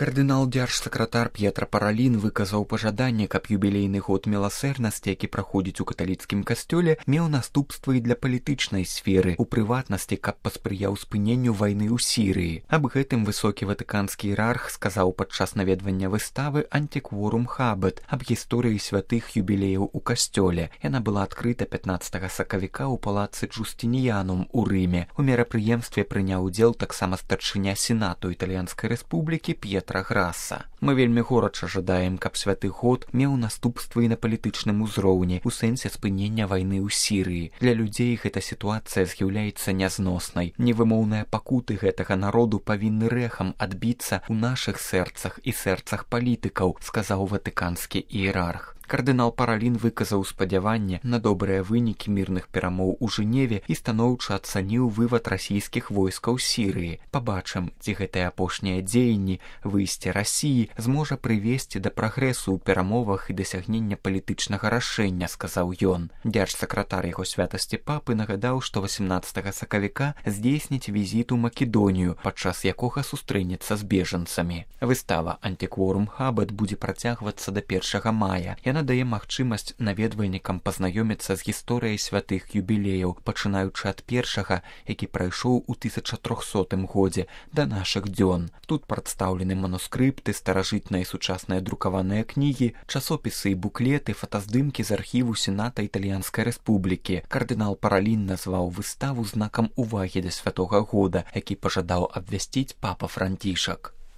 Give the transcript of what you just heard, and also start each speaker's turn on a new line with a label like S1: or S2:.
S1: Кардынал дзяржсакратар П'етра Паралін выказаў пажаданне, каб юбілейны год міласэрнасці, які праходзіць у каталіцкім касцёле, меў наступствы і для палітычнай сферы, у прыватнасці, каб паспрыяў спыненню вайны ў Сірыі. Аб гэтым высокі ватыканскі іерарх сказаў падчас наведвання выставы «Антикворум Хабет» аб гісторыі святых юбілеяў у касцёле. Яна была адкрыта 15 сакавіка ў палацы Джустиніянум у Рыме. У мерапрыемстве прыняў удзел таксама старшыня сенату Італьянскай рэспублікі П'етра Грасса. Мы вельмі горача жадаем, каб святы год меў наступствы і на палітычным узроўні, у сэнсе спынення вайны ў Сірыі. Для людзей гэта сітуацыя з'яўляецца нязноснай. Невымоўныя пакуты гэтага народу павінны рэхам адбіцца ў нашых сэрцах і сэрцах палітыкаў, сказаў ватыканскі іерарх. Кардынал Паралін выказаў спадзяванне на добрыя вынікі мірных перамоў у Жэневе і станоўча ацаніў вывад расійскіх войскаў з Сірыі. Пабачым, ці гэтыя апошнія дзеянні, выйсце Расіі зможа прывесці да прагрэсу ў перамовах і дасягнення палітычнага рашэння, сказаў ён. Дзяржсакратар яго святасці папы нагадаў, што 18 сакавіка здзейсніць візіт у Македонію, падчас якога сустрэнецца з бежанцамі. Выстава «Антикворум Хабет» будзе працягвацца да 1 мая. Яна дае магчымасць наведвальнікам пазнаёміцца з гісторыяй святых юбілеяў, пачынаючы ад першага, які прайшоў у 1300 годзе, да нашых дзён. Тут прадстаўлены манускрыпты, старажытныя і сучасныя друкаваныя кнігі, часопісы і буклеты, фотаздымкі з архіву Сената Італьянскай рэспублікі. Кардынал Паралін назваў выставу знакам увагі да святога года, які пажадаў абвясціць папа Францішак.